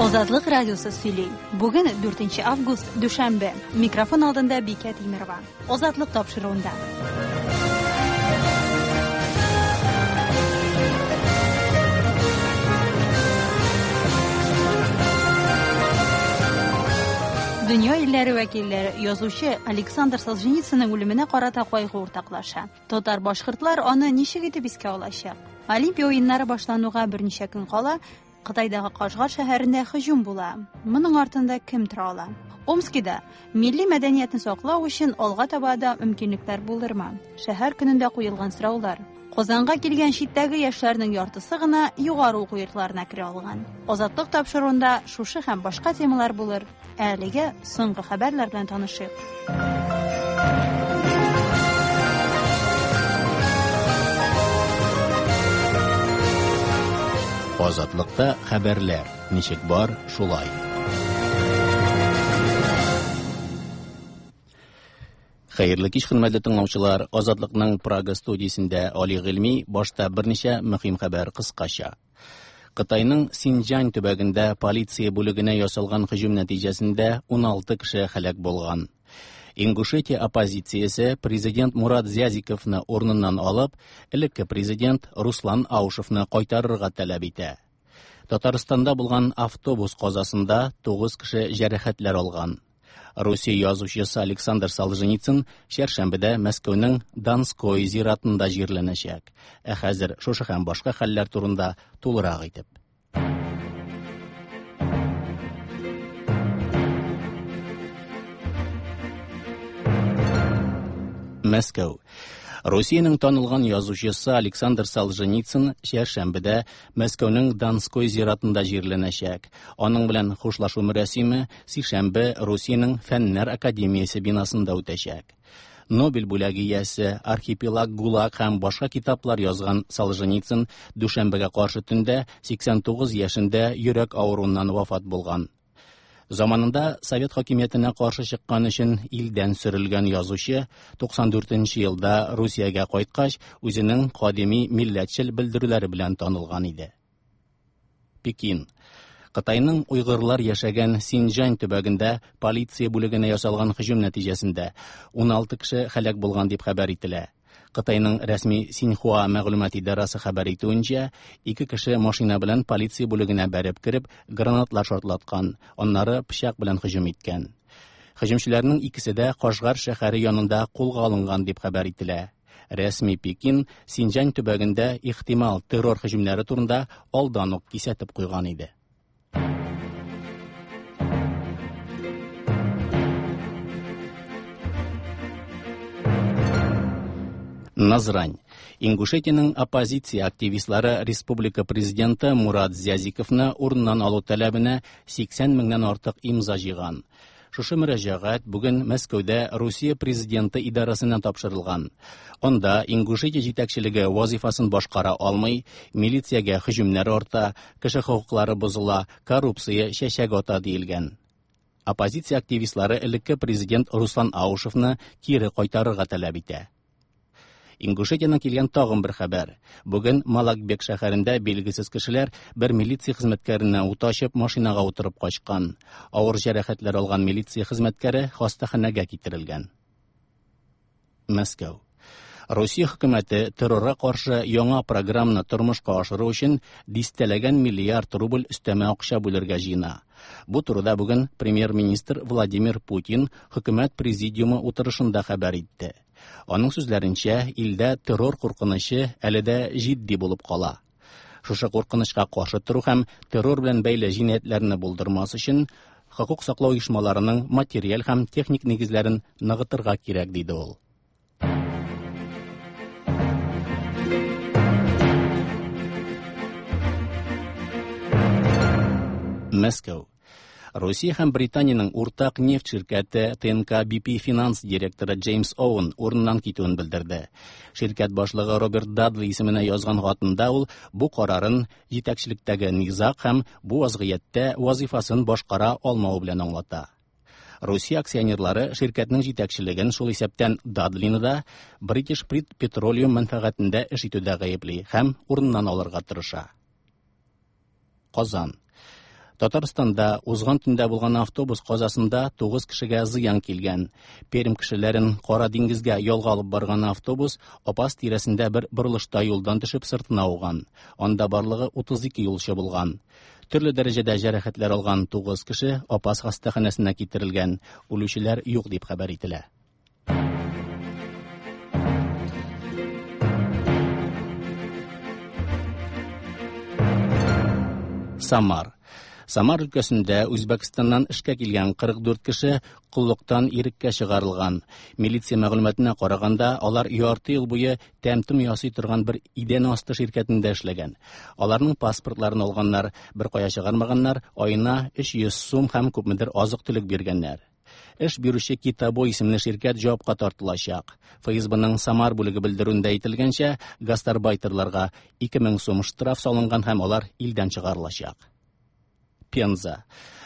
Азатлык радиосы сөйли. Бүген 4 август, дүшәмбе. Микрофон алдында Бикә Тимерова. Азатлык тапшыруында. Дөнья илләре вәкилләре язучы Александр Солженицынның үлеменә карата кайгы уртаклаша. Татар-башкортлар аны ничек итеп искә алачак? Олимпия уеннары башлануга берничә көн кала, Кытайдагы Кашгар шәһәрендә һөҗүм була. Моның артында кем тора ала? Омскида милли мәдәниятне саклау өчен алга таба да мөмкинлекләр булырмы? Шәһәр көнендә куелган сораулар. Казанга килгән читтәге яшьләрнең яртысы гына югары уку йортларына керә алган. Азатлык тапшыруында шушы һәм башка темалар булыр. Ә әлегә соңгы хәбәрләр белән танышыйк. Азатлыкта хәбәрләр ничек бар, шулай. Хәерле кич, хөрмәтле тыңлаучылар. Азатлыкның Прага студиясендә Али Гыйльми башта берничә мөһим хәбәр кыскача. Кытайның Синҗан төбәгендә полиция бүлегенә ясалган һөҗүм нәтиҗәсендә 16 кеше һәлак булган. Ингушетия оппозициясе президент Мурат Зязиковны урыныннан алып, элекке президент Руслан Аушевны кайтарырга таләп итә. Татарстанда булган автобус казасында 9 кеше җәрәхәтләр алган. Русия язучысы Александр Солженицын чәршәмбедә Мәскәүнең Донской зиратында җирләнәчәк. Ә хәзер шушы һәм башка хәлләр турында тулырак итеп. Мәскәү. Русиянең танылган язучысы Александр Солженицын чәршәмбедә Мәскәүнең Донской зиратында җирләнәчәк. Аның белән хушлашу мөрәсиме сишәмбе Русиянең Фәннәр академиясе бинасында үтәчәк. Нобель бүләге иясе, Архипелаг ГУЛАГ һәм башка китаплар язган Солженицын дүшәмбегә каршы төндә 89 яшендә йөрәк авыруыннан вафат булган. Заманында совет хакимиятенә каршы чыккан өчен илдән сөрелгән язучы 94 нче елда Русиягә кайткач, үзенең кадими милләтчел белдерүләре белән танылган иде. Пекин. Кытайның уйгырлар яшәгән Синҗань төбәгендә полиция бүлегенә ясалган һөҗүм нәтиҗәсендә 16 кеше һәлак булган дип хәбәр ителә. Кытайның рәсми Синьхуа мәгълүмат идарасы хәбәр итүенчә, ике кеше машина белән полиция бүлегенә бәреп кереп, гранатлар шартлаткан, аннары пычак белән һөҗүм иткән. Һөҗүмчеләрнең икесе дә Кашгар шәһәре янында кулга алынган дип хәбәр ителә. Рәсми Пекин Синҗан төбәгендә ихтимал террор һөҗүмнәре турында алдан ук кисәтеп куйган иде. Назрань. Ингушетиянең оппозиция активистлары республика президенты Мурат Зязиковны урыннан алу таләбенә 80 меңнән артык имза җыйган. Шушы мөрәҗәгать бүген Мәскәүдә Русия президенты идарәсенә тапшырылган. Анда Ингушетия җитәкчелеге вазифасын башкара алмый, милициягә һөҗүмнәр арта, кеше хокуклары бозыла, коррупция чәчәк ата диелгән. Оппозиция активистлары элекке президент Руслан Аушевны кире кайтарырга таләп итә. Ингушетиянең килгән тагын бер хәбәр. Бүген Малакбек шәһәрендә билгесез кешеләр бер милиция хезмәткәренә ут ачып, машинага утырып качкан. Авыр җәрәхәтләр алган милиция хезмәткәре хастаханәгә китерелгән. Мәскәү. Русия хөкүмәте террорга каршы яңа программаны тормышка ашыру өчен дистәләгән миллиард рубль өстәмә акча бүлергә җыена. Бу турыда бүген премьер-министр Владимир Путин хөкүмәт президиумы утырышында хәбәр итте. Аның сүзләренчә, илдә террор куркынычы әле дә җитди булып кала. Шушы куркынычка каршы тору һәм террор белән бәйле җинаятьләрне булдырмас өчен хокук саклау оешмаларының материаль һәм техник нигезләрен ныгытырга кирәк, диде ул. Мәскәү. Русия һәм Британиянең уртак нефть ширкәте ТНК BP финанс директоры Джеймс Оуэн урыннан китүен белдерде. Ширкәт башлыгы Роберт Дадли исеменә язган хатында ул бу карарын җитәкчелектәге низаг һәм бу вазгыятьтә вазифасын башкара алмавы белән аңлата. Русия акционерлары ширкәтнең җитәкчелеген, шул исәптән Дадлины да, British Petroleum мәнфәгатендә эш итүдә гаепли һәм урыннан алырга тырыша. Казан. Татарстанда узган төндә булган автобус казасында 9 кешегә зыян килгән. Пермь кешеләрен Кара диңгезгә ялга алып барган автобус Апас тирәсендә бер борылышта юлдан төшеп сыртына ауган. Анда барлыгы 32 юлчы булган. Төрле дәрәҗәдә җәрәхәтләр алган 9 кеше Апас хастаханәсенә китерелгән. Үлүчеләр юк дип хәбәр ителә. Самар. Самар өлкәсендә Үзбәкстаннан эшкә килгән 44 кеше коллыктан иреккә чыгарылган. Милиция мәгълүматына караганда, алар ярты ел буе тәм-том ясый торган бер идән асты ширкәтендә эшләгән. Аларның паспортларын алганнар, бер кая чыгармаганнар, аена 300 сум һәм күпмедер азык-төлек биргәннәр. Эш бирүче Китабо исемле ширкәт җавапка тартылачак. ФСБның Самар бүлеге белдерүендә әйтелгәнчә, гастарбайтерларга 2000 сум штраф салынган һәм алар илдән чыгарылачак. Пенза.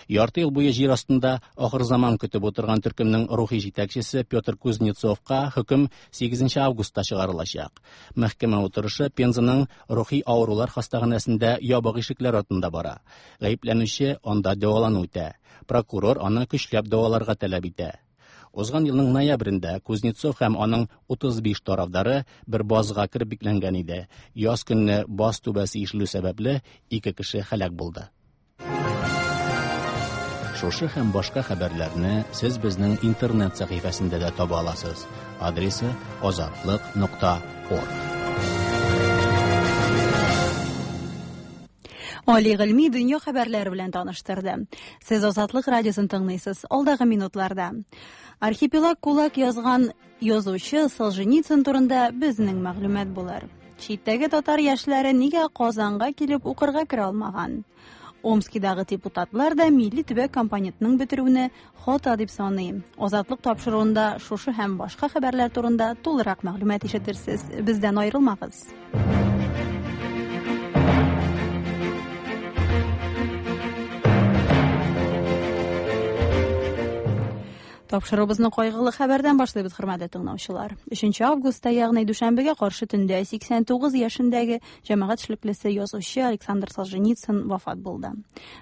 Ярты ел буе җир астында ахыр заман көтеп утырган төркемнең рухи җитәкчесе Петр Кузнецовка хөкем 8 августта чыгарылачак. Мәхкәмә утырышы Пензаның рухи авырулар хастаханәсендә ябык ишекләр артында бара. Гаепләнүче анда дәвалану үтә. Прокурор аны көчләп дәваларга таләп итә. Узган елның ноябрендә Кузнецов һәм аның 35 тарафдары бер базга кереп бикләнгән иде. Яз көнне баз түбәсе ишелү сәбәпле ике кеше һәлак булды. Шушы һәм башка хәбәрләрне сез безнең интернет сәхифәсендә дә таба аласыз. Адресы азатлык.орг. Али Гыйльми дөнья хәбәрләре белән таныштырды. Сез Азатлык радиосын тыңлыйсыз. Алдагы минутларда Архипелаг ГУЛАГ язган язучы Солженицын турында безнең мәгълүмат булыр. Читтәге татар яшьләре нигә Казанга килеп укырга керә алмаган? Омскидагы депутатлар да милли төбәк компонентының бетерүне хата дип саный. Азатлык тапшыруында шушы һәм башка хәбәрләр турында тулырак мәгълүмат ишетерсез. Бездән аерылмагыз. Тапшыруыбызны кайгылы хәбәрдән башлыйбыз, хөрмәтле тыңлаучылар. 3 августта, ягъни дүшәмбегә каршы төндә 89 яшендәге җәмәгать эшлеклесе язучы Александр Солженицын вафат булды.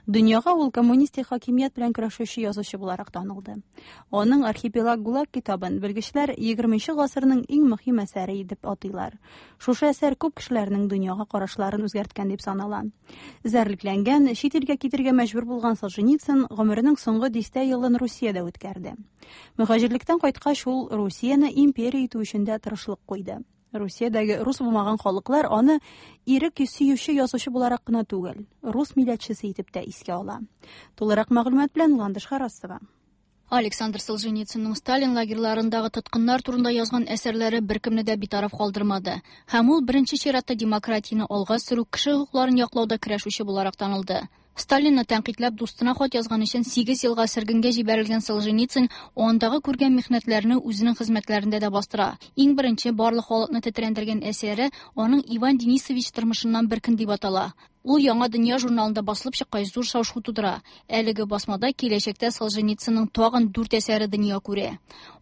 Дөньяга ул коммунистик хакимият белән көрәшүче язучы буларак танылды. Аның Архипелаг ГУЛАГ китабын белгечләр 20 гасырның иң мөһим әсәре дип атыйлар. Шушы әсәр күп кешеләрнең дөньяга карашларын үзгәрткән дип санала. Эзәрлекләнгән, чит илгә китергә мәҗбүр булган Солженицын гомеренең соңгы дистә елын Русиядә үткәрде. Мөһаҗирлектән кайткач, ул Русияне империя итү өчен дә тырышлык куйды. Русиядәге рус булмаган халыклар аны ирек сөюче язучы буларак кына түгел, рус милләтчесе итеп тә искә ала. Тулырак мәгълүмат белән Ландыш Харасова. Александр Солженицынның Сталин лагерьларындагы тоткыннар турында язган әсәрләре беркемне дә битараф калдырмады. Һәм ул беренче чиратта демократияне алга сөрү, кеше хокукларын яклауда көрәшүче буларак танылды. Сталинны тәнкыйтьләп дустына хат язган өчен 8 елга сөргенгә җибәрелгән Солженицын андагы күргән михнәтләрне үзенең хезмәтләрендә дә бастыра. Иң беренче барлык халыкны тетрәндергән әсәре аның Иван Денисович тормышыннан бер көн дип атала. Ул Яңа дөнья журналында басылып чыккач зур шау-шу тудыра. Әлеге басмада киләчәктә Солженицынның тагын дүрт әсәре дөнья күрә.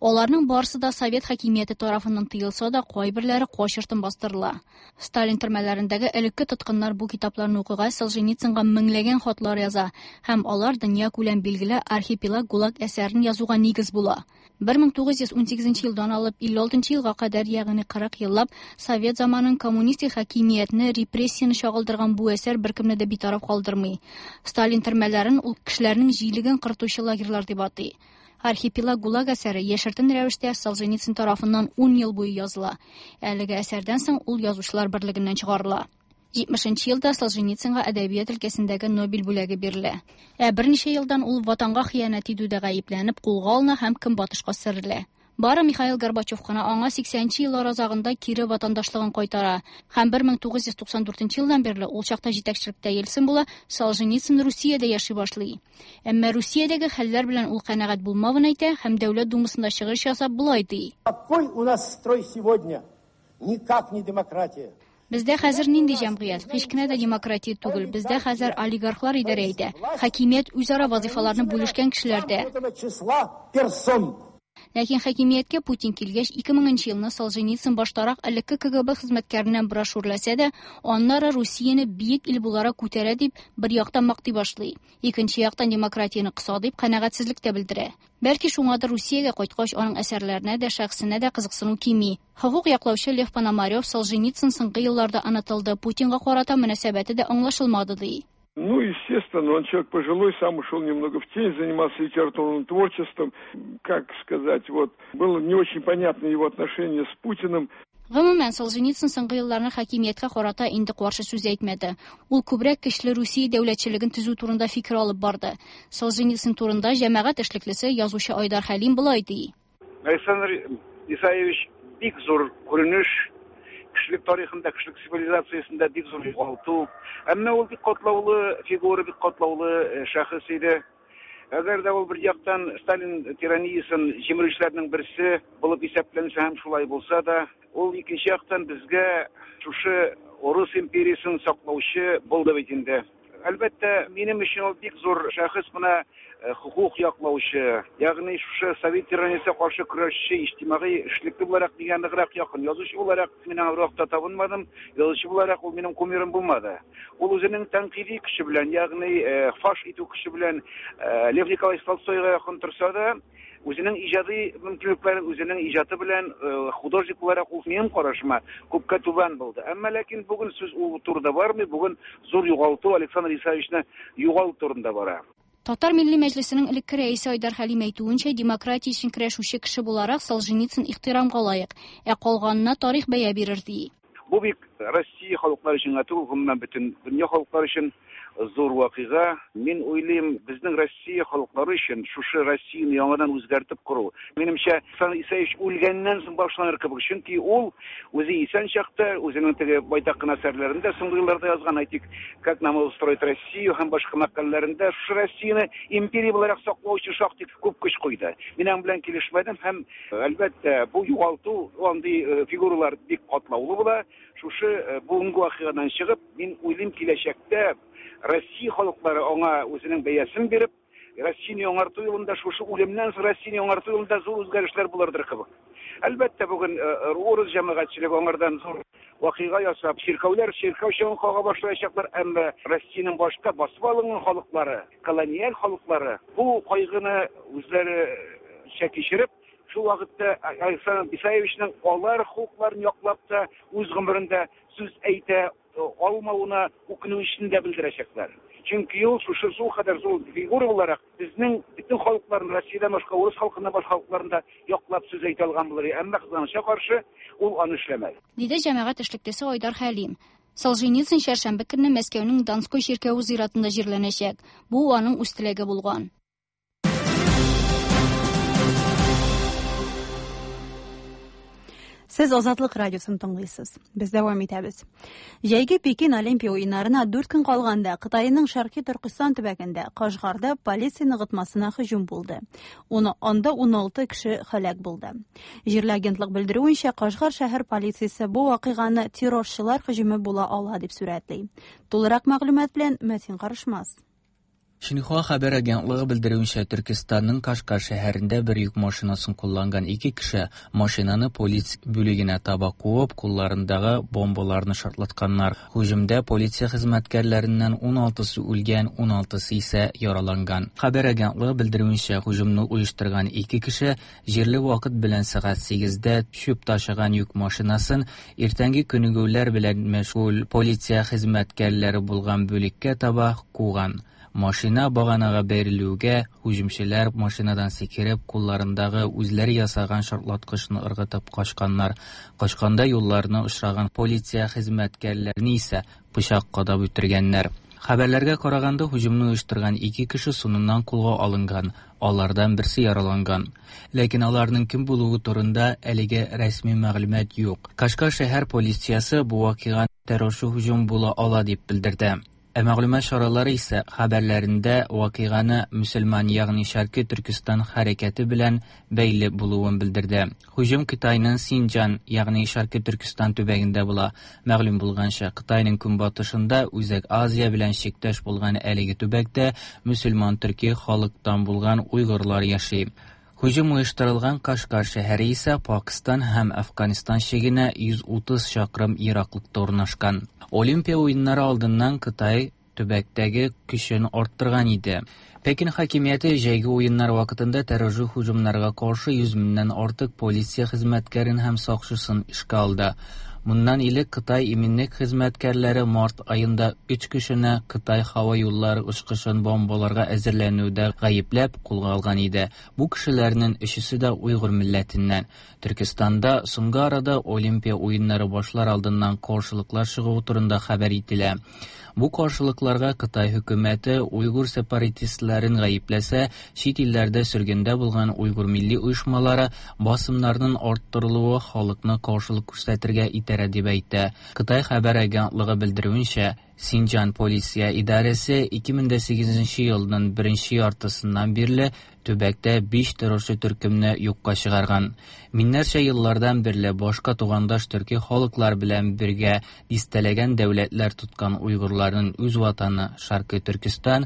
Аларның барысы да совет хакимияте тарафыннан тыелса да, кайберләре качыртын бастырыла. Сталин төрмәләрендәге элекке тоткыннар бу китапларны укыгач Солженицынга меңләгән хатлар яза һәм алар дөнья күләм билгеле Архипелаг ГУЛАГ әсәрен язуга нигез була. 1918 елдан алып 56 елга кадәр, ягъни 40 еллап совет заманын коммунистик хакимиятне, репрессияне чагылдырган бу әсәр беркемне дә битараф калдырмый. Сталин төрмәләрен ул кешеләрнең җилеген кыртучы лагерьлар дип атый. Архипелаг ГУЛАГ әсәре яшертен рәвештә Солженицын тарафыннан 10 ел буе языла. Әлеге әсәрдән соң ул язучылар берлегеннән чыгарыла. 70 елда Солженицынга әдәбият өлкәсендәге Нобель бүләге бирелә. Ә берничә елдан ул ватанга хыянәт итүдә гаепләнеп кулга алына һәм көнбатышка сөрелә. Бары Михаил Горбачев кына аңа 80 еллар азагында кире ватандашлыгын кайтара. Һәм 1994 елдан бирле ул чакта җитәкчелектә Ельцин була, Солженицын Русиядә яши башлый. Әмма Русиядәге хәлләр белән ул канәгать булмавын әйтә һәм Дәүләт Думасында чыгыш ясап болай ди. Какой у нас строй сегодня? Никак не демократия. Бездә хәзер нинди җәмгыять? Һич кенә дә демократия түгел. Бездә хәзер олигархлар идарә итә. Хакимият үзара вазифаларны бүлешкән кешеләрдә. Ләкин хакимияткә Путин килгәч, 2000 нче елны Солженицын баштарак элекке КГБ хезмәткәреннән бераз шүрләсә дә, аннары Русияне биек ил буларак күтәрә дип, бер яктан мактый башлый, икенче яктан демократияне кыса дип канәгатьсезлек тә белдерә. Бәлки шуңадыр Русиягә кайткач аның әсәрләренә дә, шәхесенә дә кызыксыну кими. Хокук яклаучы Лев Пономарев Солженицын соңгы елларда онытылды, Путинга карата мөнәсәбәте дә аңлашылмады ди. Ну, естественно, он человек пожилой, сам ушел немного в тень, занимался литературным творчеством. Как сказать, вот, было не очень понятно его отношение с Путиным. Гомумән, Солженицын соңгы елларны хакимияткә карата инде каршы сүз әйтмәде. Ул күбрәк көчле Русия дәүләтчелеген төзү турында фикер алып барды. Солженицын турында җәмәгать эшлеклесе, язучы Айдар Хәлим болай ди. Александр Исаевич бик зур күренеш, кешелек тарихында, кешелек цивилизациясендә бик зур югалту. Әмма ул бик катлаулы фигура, бик катлаулы э, шәхес иде. Әгәр дә ул бер яктан Сталин тираниясен җимерүчеләрнең берсе булып исәпләнсә һәм шулай булса да, ул икенче яктан безгә шушы Урыс империясен саклаучы булды бит инде. Әлбәттә, минем өчен ул бик зур шәхес, менә э, хокук яклаучы, ягъни шушы совет тираниясенә каршы көрәшче, иҗтимагый эшлекле буларак миңа ныграк якын. Язучы буларак мин аңа бервакытта табынмадым, язучы буларак ул минем кумирым булмады. Ул үзенең тәнкыйди көче белән, ягъни э, фаш итү көче белән э, Лев Николаевич Толстойга якын торса да, үзенең иҗади мөмкинлекләре, үзенең иҗаты белән э, художник буларак ул минем карашыма күпкә түбән булды. Әмма ләкин бүген сүз ул турыда бармый, бүген зур югалту Александр Исаевичны югалту турында бара. Татар Милли Мәҗлесенең элекке рәисе Айдар Хәлим әйтүенчә, демократия өчен көрәшүче кеше буларак Солженицын ихтирамга лаек, ә калганына тарих бәя бирер ди. Бу бик Россия халыклары өчен генә түгел, гомумән бөтен дөнья халыклары өчен зур вакыйга. Мин уйлыйм, безнең Россия халыклары өчен шушы Россияне яңадан үзгәртеп кору, минемчә, Александр Исаевич үлгәннән соң башланыр кебек. Чөнки ул үзе исән чакта үзенең теге байтак кына әсәрләрендә соңгы елларда язган, әйтик, Как нам устроить Россию һәм башка мәкаләләрендә шушы Россияне империя буларак саклау өчен шактый күп көч куйды. Мин аның белән килешмәдем һәм Әлбәттә, бу югалту, андый э, фигуралар бик катлаулы була. Шушы э, бүгенге вакыйгадан чыгып, мин уйлыйм, киләчәктә Россия халыклары аңа үзенең бәясен биреп, Россияне яңарту юлында, шушы үлемнән соң Россияне яңарту юлында зур үзгәрешләр булырдыр кебек. Әлбәттә, бүген э, урыс җәмәгатьчелеге аңардан зур вакыйга ясап, чиркәүләр чиркәү чаңын кага башлаячаклар, әмма Россиянең башка басып алынган халыклары, колониаль халыклары бу кайгыны үзләренчә кичереп, шул вакытта Александр Исаевичның алар хокукларын яклап та үз гомерендә сүз әйтә алмавына үкенү дә белдерәчәкләр. Чөнки ул шушы шул кадәр зур фигура буларак безнең бөтен халыкларны, Россиядән башка, урыс халкыннан башка халыкларны да яклап сүз әйтә алган булыр. Әмма кызганычка каршы, ул аны эшләмәде. Диде җәмәгать эшлеклесе Айдар Хәлим. Солженицын чәршәмбе көнне Мәскәүнең Донской чиркәве зиратында җирләнәчәк. Бу аның үз теләге булган. Сез Азатлык радиосын тыңлыйсыз. Без дәвам итәбез. Җәйге Пекин Олимпия уеннарына 4 көн калганда Кытайның Шәрқи Төркестан төбәгендә Кашгарда полиция ныгытмасына һөҗүм булды. Уны анда 16 кеше һәлак булды. Җирле агентлык белдерүенчә, Кашгар шәһәр полициясе бу вакыйганы террорчылар һөҗүме була ала дип сурәтли. Тулырак мәгълүмат белән Мәтин Карышмас. Шинхуа хәбәр агентлыгы белдерүенчә, Төркестанның Кашгар шәһәрендә бер йөк машинасын кулланган ике кеше машинаны полиция бүлегенә таба куып, кулларындагы бомбаларны шартлатканнар. Һөҗүмдә полиция хезмәткәрләреннән 16-сы үлгән, 16-сы исә яраланган. Хәбәр агентлыгы белдерүенчә, һөҗүмне оештырган ике кеше җирле вакыт белән сәгать 8-дә чүп ташыган йөк машинасын иртәнге күнегүләр белән мәшгуль полиция хезмәткәрләре булган бүлеккә таба куган. Машина баганага бәрелүгә һөҗүмчеләр машинадан сикереп, кулларындагы үзләре ясаган шартлаткычны ыргытып качканнар. Качканда юлларына очраган полиция хезмәткәрләрен исә пычак кадап үтергәннәр. Хәбәрләргә караганда, һөҗүмне оештырган ике кеше соңыннан кулга алынган, алардан берсе яраланган. Ләкин аларның кем булуы турында әлегә рәсми мәгълүмат юк. Кашгар шәһәр полициясе бу вакыйга террорчы һөҗүм була ала дип белдерде. Ә мәгълүмат чаралары исә хәбәрләрендә вакыйганы мөселман, ягъни Шәрқи Төркестан хәрәкәте белән бәйле булуын белдерде. Һөҗүм Кытайның Синҗан, ягъни Шәрқи Төркестан төбәгендә була. Мәгълүм булганча, Кытайның көнбатышында Үзәк Азия белән чиктәш булган әлеге төбәктә мөселман төрки халыктан булган уйгырлар яши. Һөҗүм оештырылган Кашгар шәһәре исә Пакыстан һәм Әфганстан чигенә 130 чакрым ераклыкта урнашкан. Олимпия уеннары алдыннан Кытай төбәктәге көчен арттырган иде. Пекин хакимияте җәйге уеннар вакытында террорчы һөҗүмнәргә каршы 100 меңнән артык полиция хезмәткәрен һәм сакчысын эшкә алды. Моннан элек Кытай иминлек хезмәткәрләре март аенда өч кешене Кытай һава юллары очкычын бомбаларга әзерләнүдә гаепләп кулга алган иде. Бу кешеләрнең өчесе дә уйгыр милләтеннән. Төркестанда соңгы арада Олимпия уеннары башлар алдыннан каршылыклар чыгуы турында хәбәр ителә. Бу каршылыкларга Кытай хөкүмәте уйгыр сепаратистларын гаепләсә, чит илләрдә сөргендә булган уйгыр милли оешмалары басымнарның арттырылуы халыкны каршылык күрсәтергә этәрә дип әйтә. Кытай хәбәр агентлыгы белдерүенчә, Синҗан полиция идарәсе 2008 елның беренче яртысыннан бирле төбәктә 5 террорчы төркемне юкка чыгарган. Миңнәрчә еллардан бирле башка тугандаш төрки халыклар белән бергә дистәләгән дәүләтләр тоткан уйгырларның үз ватаны Шаркый Төркестан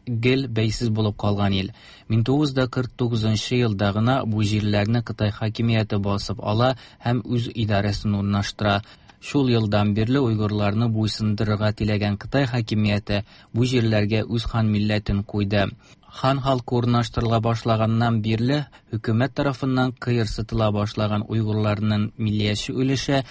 гел бәйсез булып калган ил. 1949 елда гына бу җирләрне Кытай хакимияте басып ала һәм үз идарәсен урнаштыра. Шул елдан бирле уйгырларны буйсындырырга теләгән Кытай хакимияте бу җирләргә үз хан милләтен куйды. Хан халкы урнаштырыла башлаганнан бирле хөкүмәт тарафыннан кыерсытыла башлаган уйгырларның миллияче өлеше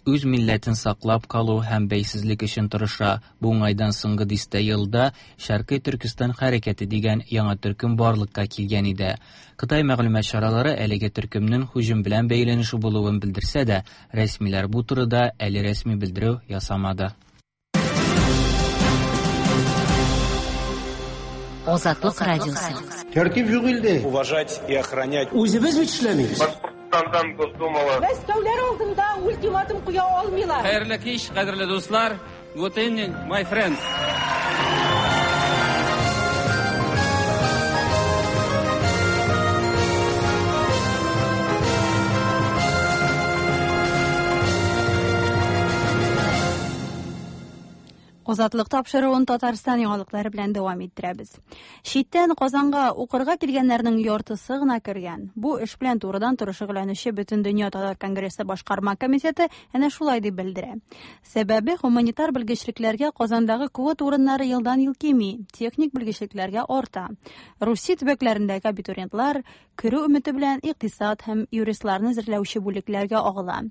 үз милләтен саклап калу һәм бәйсезлек өчен тырыша. Бу уңайдан соңгы дистә елда Шәркый Төркестан хәрәкәте дигән яңа төркем барлыкка килгән иде. Кытай мәгълүмат чаралары әлеге төркемнең һөҗүм белән бәйләнеше булуын белдерсә дә, рәсмиләр бу турыда әле рәсми белдерү ясамады. Азатлык радиосы. Тәртип юк илдә. Уважать и охранять. Үзебез бит эшләмибез. Башкортстандан Госдумала. Мәскәүләр алдында ультиматум куя алмыйлар. Хәерле кич, кадерле дуслар. Good evening, my friends. Азатлык тапшыруын Татарстан яңалыклары белән дәвам иттерәбез. Читтән Казанга укырга килгәннәрнең яртысы гына кергән. Бу эш белән турыдан-туры шөгыльләнүче Бөтендөнья татар конгрессы башкарма комитеты әнә шулай дип белдерә. Сәбәбе гуманитар белгечлекләргә Казандагы квота урыннары елдан-ел кими, техник белгечлекләргә арта. Русия төбәкләрендәге абитуриентлар керү өмете белән икътисад һәм юристларны әзерләүче бүлекләргә агыла.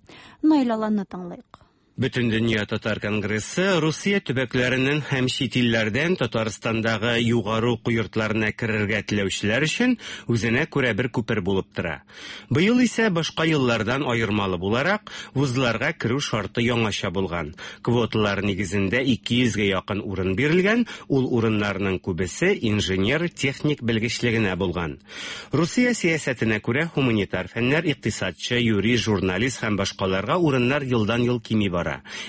Наил Аланны тыңлыйк. Бөтендөнья татар конгрессы Русия төбәкләреннән һәм чит илләрдән Татарстандагы югары уку йортларына керергә теләүчеләр өчен үзенә күрә бер күпер булып тора. Быел исә башка еллардан аермалы буларак, вузларга керү шарты яңача булган. Квоталар нигезендә 200гә якын урын бирелгән, ул урыннарның күбесе инженер, техник белгечлегенә булган. Русия сәясәтенә күрә гуманитар фәннәр, икътисадчы, юрист, журналист һәм башкаларга урыннар елдан-ел кими бара.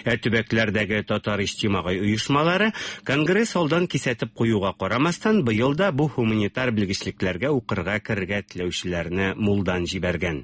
Ә төбәкләрдәге татар иҗтимагый оешмалары конгресс алдан кисәтеп куюга карамастан быел да бу гуманитар белгечлекләргә укырга керергә теләүчеләрне мулдан җибәргән.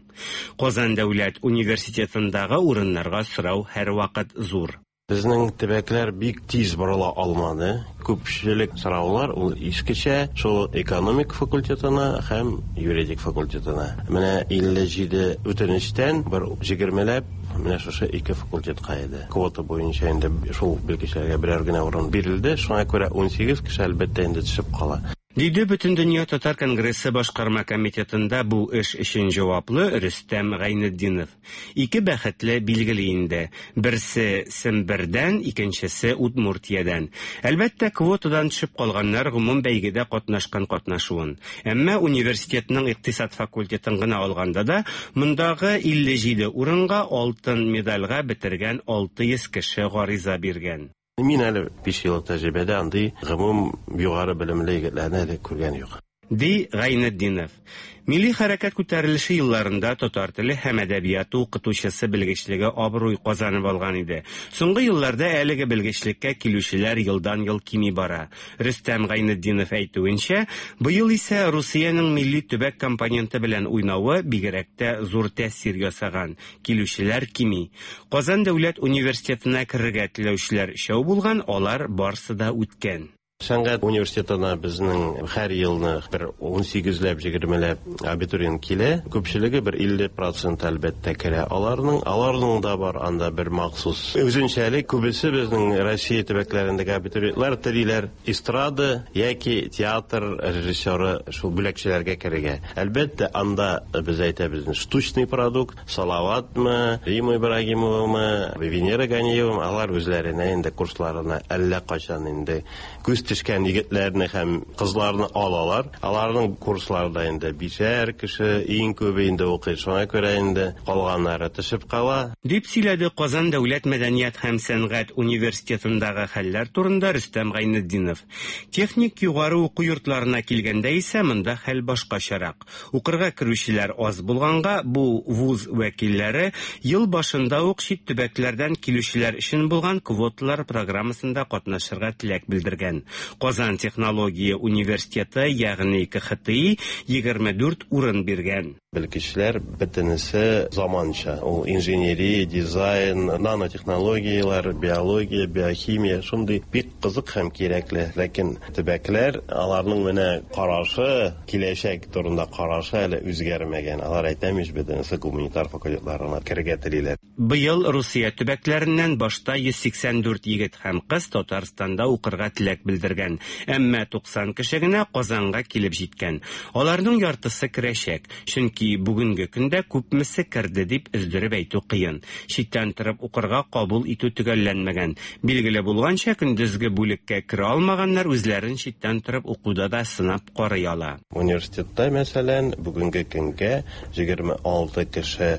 Казан дәүләт университетындагы урыннарга сорау һәрвакыт зур. Безнең төбәкләр бик тиз борыла алмады. Күпчелек сораулар ул искечә шул экономик факультетына һәм юридик факультетына. Менә 57 үтенечтән бер 20ләп менә шушы ике факультетка иде. Квота буенча инде шул белгечләргә берәр генә урын бирелде. Шуңа күрә 18 кеше әлбәттә инде төшеп кала. Диде Бөтендөнья татар конгрессы башкарма комитетында бу эш өчен җаваплы Рөстәм Гайнетдинов. Ике бәхетле билгеле инде. Берсе Сембердән, икенчесе Удмуртиядән. Әлбәттә, квотадан төшеп калганнар гомум бәйгедә катнашкан катнашуын. Әмма университетның икътисад факультетын гына алганда да, мондагы 57 урынга алтын медальгә бетергән 600 кеше гариза биргән. Мин әле 5 еллык тәҗрибәдә андый гомум югары белемле егетләрне әле күргән юк. Ди Гайнетдинов. Милли хәрәкәт күтәрелеше елларында татар теле һәм әдәбияты укытучысы белгечлеге абруй казанып алган иде. Соңгы елларда әлеге белгечлеккә килүчеләр елдан-ел кими бара. Рөстәм Гайнетдинов әйтүенчә, быел исә Русиянең милли төбәк компоненты белән уйнавы бигрәк тә зур тәэсир ясаган. Килүчеләр кими. Казан дәүләт университетына керергә теләүчеләр өчәү булган, алар барсы да үткән. Сәнгать университетына безнең һәр елны бер 18ләп, 20ләп абитуриент килә. Күпчелеге бер 50 процент әлбәттә керә аларның. Аларның да бар анда бер махсус үзенчәлек. Күбесе безнең Россия төбәкләрендәге абитуриентлар телиләр эстрада яки театр режиссеры шул бүләкчеләргә керергә. Әлбәттә, анда без әйтәбез штучный продукт, Салаватмы, Рима Ибрагимовамы, Венера Ганиевамы, алар үзләренә инде курсларына әллә кайчан инде күз төшкән егетләрне һәм кызларны алалар. Аларның курсларында инде бишәр кеше иң күбе инде укый. Шуңа күрә инде калганнары төшеп кала. Дип сөйләде Казан дәүләт мәдәният һәм сәнгать университетындагы хәлләр турында Рөстәм Гайнетдинов. Техник югары уку йортларына килгәндә исә монда хәл башкачарак. Укырга керүчеләр аз булганга, бу вуз вәкилләре ел башында ук чит төбәкләрдән килүчеләр өчен булган квоталар программасында катнашырга теләк белдергән. Казан технология университеты, ягъни КХТИ, 24 урын биргән. Белгечләр бөтенесе заманча. Ул инженерия, дизайн, нанотехнологияләр, биология, биохимия шундый бик кызык һәм кирәкле. Ләкин төбәкләр, аларның менә карашы, киләчәк турында карашы әле үзгәрмәгән. Алар әйтәм ич, бөтенесе гуманитар факультетларына керергә телиләр. Быел Русия төбәкләреннән башта 184 егет һәм кыз Татарстанда укырга теләк белдергән. Әмма 90 кеше генә Казанга килеп җиткән. Аларның яртысы керәчәк. Чөнки бүгенге көндә күпмесе керде дип өздереп әйтү кыен. Читтән торып укырга кабул итү төгәлләнмәгән. Билгеле булганча, көндезге бүлеккә керә алмаганнар үзләрен читтән торып укуда да сынап карый ала. Университетта, мәсәлән, бүгенге көнгә 26 кеше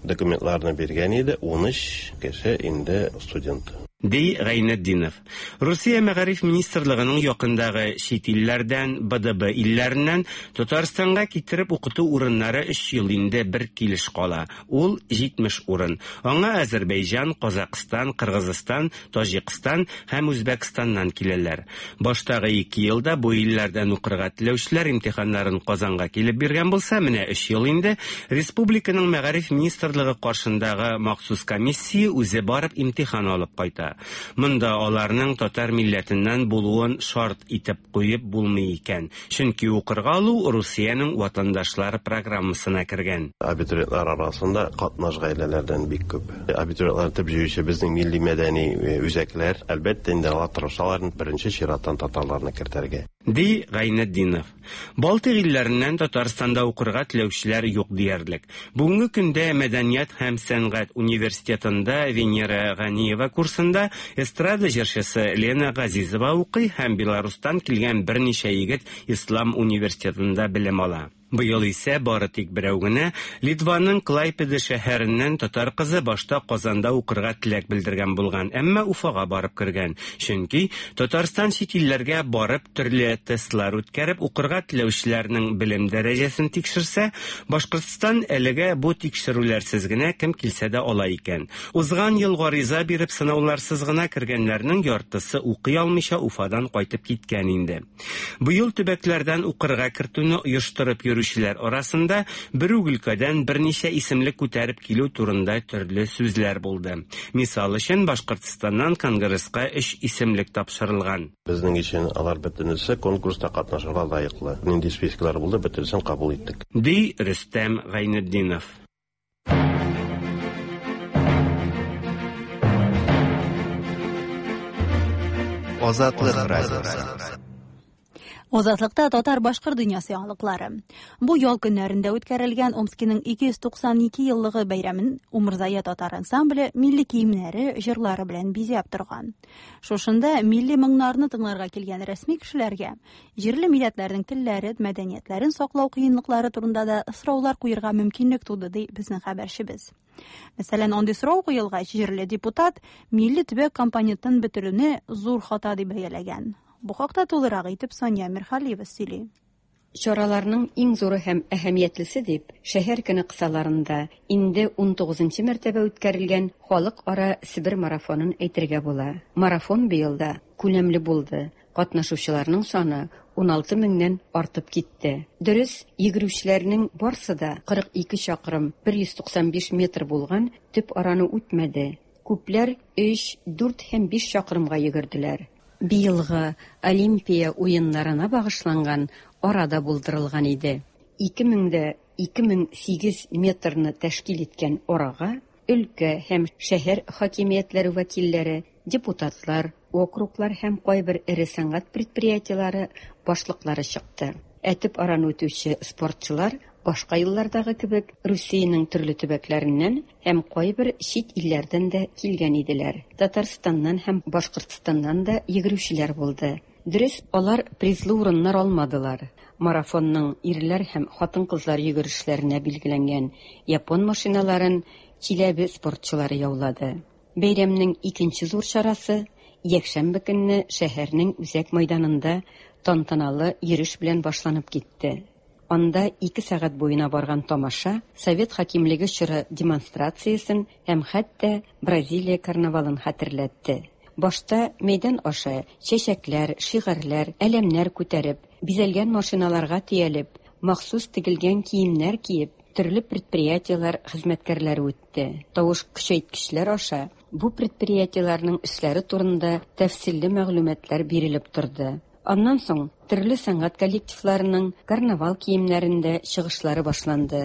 документларны биргән иде, 13 кеше инде студент. Ди Гайнетдинов. Русия мәгариф министрлыгының якындагы чит илләрдән, БДБ илләреннән Татарстанга китереп укыту урыннары 3 ел инде бер килеш кала. Ул 70 урын. Аңа Азәрбайҗан, Казакъстан, Кыргызстан, Таҗикстан һәм Үзбәкстаннан киләләр. Баштагы 2 елда бу илләрдән укырга теләүчеләр имтиханнарын Казанга килеп биргән булса, менә 3 ел инде республиканың мәгариф министрлыгы каршындагы махсус комиссия үзе барып имтихан алып кайта. Монда аларның татар милләтеннән булуын шарт итеп куеп булмый икән. Чөнки укырга алу Русиянең ватандашлар программасына кергән. Абитуриентлар арасында катнаш гаиләләрдән бик күп. Абитуриентлар төп җыючы безнең милли мәдәни үзәкләр, әлбәттә инде алар тырышалар беренче чираттан татарларны кертергә. Ди Гайнетдинов. Балтыйк илләреннән Татарстанда укырга теләүчеләр юк диярлек. Бүгенге көндә Мәдәният һәм сәнгать университетында Венера Ганиева курсында эстрада җырчысы Лена Газизова укый һәм Беларустан килгән берничә егет Ислам университетында белем ала. Быел исә бары тик берәү генә Литваның Клайпеда шәһәреннән татар кызы башта Казанда укырга теләк белдергән булган, әмма Уфага барып кергән. Чөнки Татарстан чит илләргә барып төрле тестлар үткәреп укырга теләүчеләрнең белем дәрәҗәсен тикшерсә, Башкортстан әлегә бу тикшерүләрсез генә кем килсә дә ала икән. Узган ел гариза биреп сынауларсыз гына кергәннәрнең яртысы укый алмыйча Уфадан кайтып киткән инде. Быел төбәкләрдән укырга кертүне оештырып йөрүчеләр арасында бер үк өлкәдән берничә исемлек күтәреп килү турында төрле сүзләр булды. Мисал өчен, Башкортстаннан Конгресска 3 исемлек тапшырылган. Безнең өчен алар бөтенесе конкурста катнашырга лаеклы. Нинди списоклар булды, бөтенесен кабул иттек. Ди Рөстәм Гайнетдинов. Азатлык радиосы. Азатлыкта татар-башкорт дөньясы яңалыклары. Бу ял көннәрендә үткәрелгән Омскиның 292 еллыгы бәйрәмен Умырзая татар ансамбле милли киемнәре, җырлары белән бизәп торган. Шушында милли моңнарны тыңларга килгән рәсми кешеләргә җирле милләтләрнең телләре, мәдәниятләрен саклау кыенлыклары турында да сораулар куерга мөмкинлек туды, ди безнең хәбәрчебез. Мәсәлән, андый сорау куелгач, җирле депутат милли төбәк компонентын бетерүне зур хата дип бәяләгән. Бу хакта тулырак итеп Сания Мирхалиева сөйли. Чараларның иң зуры һәм әһәмиятлесе дип, шәһәр көне кысаларында инде 19нчы мәртәбә үткәрелгән халыкара Себер марафонын әйтергә була. Марафон быел да күләмле булды. Катнашучыларның саны 16 меңнән артып китте. Дөрес, йөгерүчеләрнең барсы да 42 чакрым 195 метр булган төп араны үтмәде. Күпләр 3, 4 һәм 5 чакрымга йөгерделәр. Быелгы Олимпия уеннарына багышланган ара да булдырылган иде. 2000,2008 метрны тәшкил иткән арага өлкә һәм шәһәр хакимиятләре вәкилләре, депутатлар, округлар һәм кайбер эре сәнәгать предприятиеләре башлыклары чыкты. Ә төп араны үтүче спортчылар башка еллардагы кебек Русиянең төрле төбәкләреннән һәм кайбер чит илләрдән дә килгән иделәр. Татарстаннан һәм Башкортстаннан да йөгерүчеләр булды. Дөрес, алар призлы урыннар алмадылар. Марафонның ирләр һәм хатын-кызлар йөгерешләренә билгеләнгән япон машиналарын Чиләбе спортчылары яулады. Бәйрәмнең икенче зур чарасы якшәмбе көнне шәһәрнең үзәк мәйданында тантаналы йөреш белән башланып китте. Анда 2 сәгать буена барган тамаша совет хакимлеге чоры демонстрациясен һәм хәтта Бразилия карнавалын хәтерләтте. Башта мәйдан аша чәчәкләр, шигарьләр, әләмнәр күтәреп, бизәлгән машиналарга төялеп, махсус тегелгән киемнәр киеп, төрле предприятиеләр хезмәткәрләре үтте. Тавыш көчәйткечләр аша бу предприятиеләрнең эшләре турында тәфсилле мәгълүматлар бирелеп торды. Аннан соң төрле сәнгать коллективларының карнавал киемнәрендә чыгышлары башланды.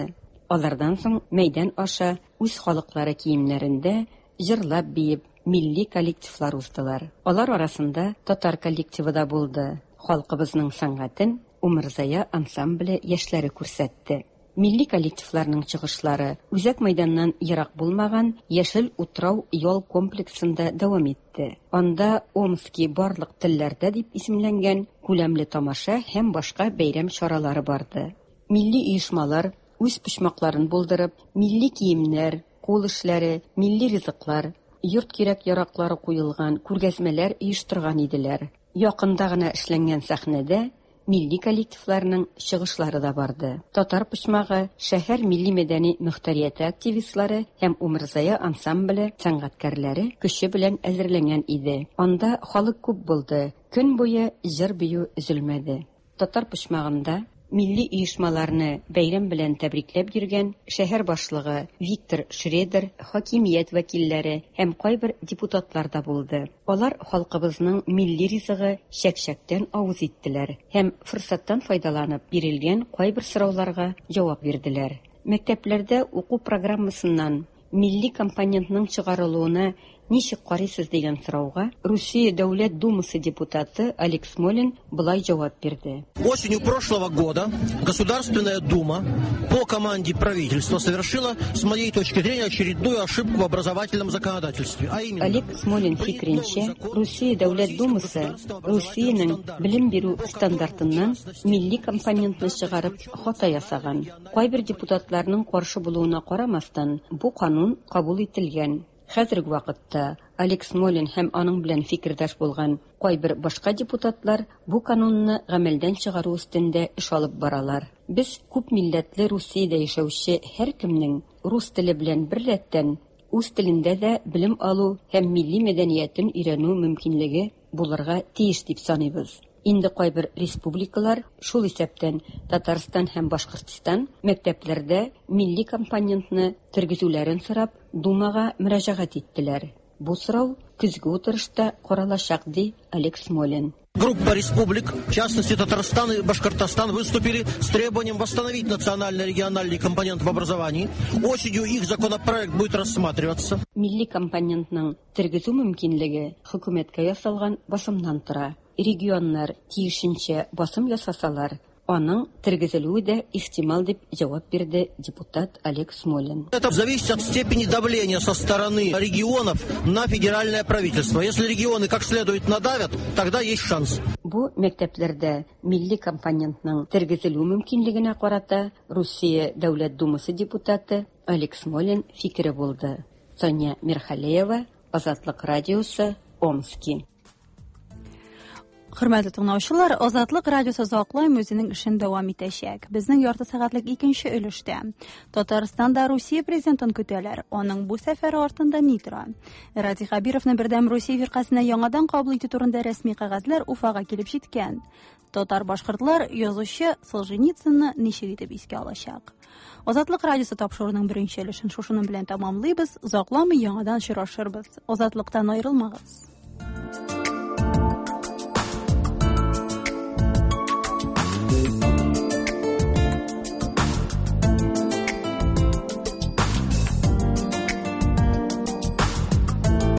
Алардан соң мәйдан аша үз халыклары киемнәрендә җырлап биеп милли коллективлар уздылар. Алар арасында татар коллективы да булды. Халкыбызның сәнгатен Умырзая ансамбле яшьләре күрсәтте. Милли коллективларның чыгышлары үзәк мәйданнан ерак булмаган Яшел утрау ял комплексында дәвам итте. Анда Омски барлык телләрдә дип исемләнгән күләмле тамаша һәм башка бәйрәм чаралары барды. Милли оешмалар үз почмакларын булдырып, милли киемнәр, кул эшләре, милли ризыклар, йорт кирәк-яраклары куелган күргәзмәләр оештырган иделәр. Якында гына эшләнгән сәхнәдә милли коллективларның чыгышлары да барды. Татар почмагы шәһәр милли-мәдәни мөхтәрияте активистлары һәм Умырзая ансамбле сәнгатькәрләре көче белән әзерләнгән иде. Анда халык күп булды, көн буе җыр-бию өзелмәде. Татар почмагында милли оешмаларны бәйрәм белән тәбрикләп йөргән шәһәр башлыгы Виктор Шредер, хакимият вәкилләре һәм кайбер депутатлар да булды. Алар халкыбызның милли ризыгы чәк-чәктән авыз иттеләр һәм форсаттан файдаланып бирелгән кайбер сорауларга җавап бирделәр. Мәктәпләрдә уку программасыннан милли компонентның чыгарылуына ничек карыйсыз дигән сорауга Русия Дәүләт Думасы депутаты Олег Смолин болай җавап бирде. Осенью прошлого года Государственная Дума по команде правительства совершила, с моей точки зрения, очередную ошибку в образовательном законодательстве. А именно, Олег Смолин фикеренчә, Русия Дәүләт Думасы Русиянең белем бирү стандартыннан милли компонентны чыгарып хата ясаган. Кайбер депутатларның каршы булуына карамастан, бу канун кабул ителгән. Хәзерге вакытта Олег Смолин һәм аның белән фикердәш булган кайбер башка депутатлар бу канунны гамәлдән чыгару өстендә эш алып баралар. Без күп милләтле Русиядә яшәүче һәркемнең рус теле белән беррәттән үз телендә дә белем алу һәм милли мәдәниятен өйрәнү мөмкинлеге булырга тиеш дип саныйбыз. Инде кайбер республикалар, шул исәптән Татарстан һәм Башкортстан, мәктәпләрдә милли компонентны тергезүләрен сорап, Думага мөрәҗәгать иттеләр. Бу сорау көзге утырышта каралачак, ди Олег Смолин. Группа республик, в частности Татарстан и Башкортостан, выступили с требованием восстановить национально-региональный компонент в образовании. Осенью их законопроект будет рассматриваться. Милли компонентның тергезү мөмкинлеге хөкүмәткә ясалган басымнан тора. Регионнар тиешенчә басым ясасалар, аның тергезелүе дә ихтимал, дип җавап бирде депутат Олег Смолин. Это зависит от степени давления со стороны регионов на федеральное правительство. Если регионы как следует надавят, тогда есть шанс. Бу мәктәпләрдә милли компонентның тергезелү мөмкинлегенә карата Русия Дәүләт Думасы депутаты Олег Смолин фикере булды. Соня Мирхалеева, Азатлык радиосы, Омски. Хөрмәтле тыңлаучылар, Азатлык радиосы озакламый үзенең эшен дәвам итәчәк. Безнең ярты сәгатьлек икенче өлештә Татарстанда Русия президентын көтәләр. Аның бу сәфәре артында ни тора? Радий Хәбировны Бердәм Русия фиркасенә яңадан кабул итү турында рәсми кәгазьләр Уфага килеп җиткән. Татар-башкортлар язучы Солженицынны ничек итеп искә алачак? Азатлык радиосы тапшыруының беренче өлешен шушының белән тәмамлыйбыз. Озакламый яңадан очрашырбыз. Азатлыктан аерылмагыз.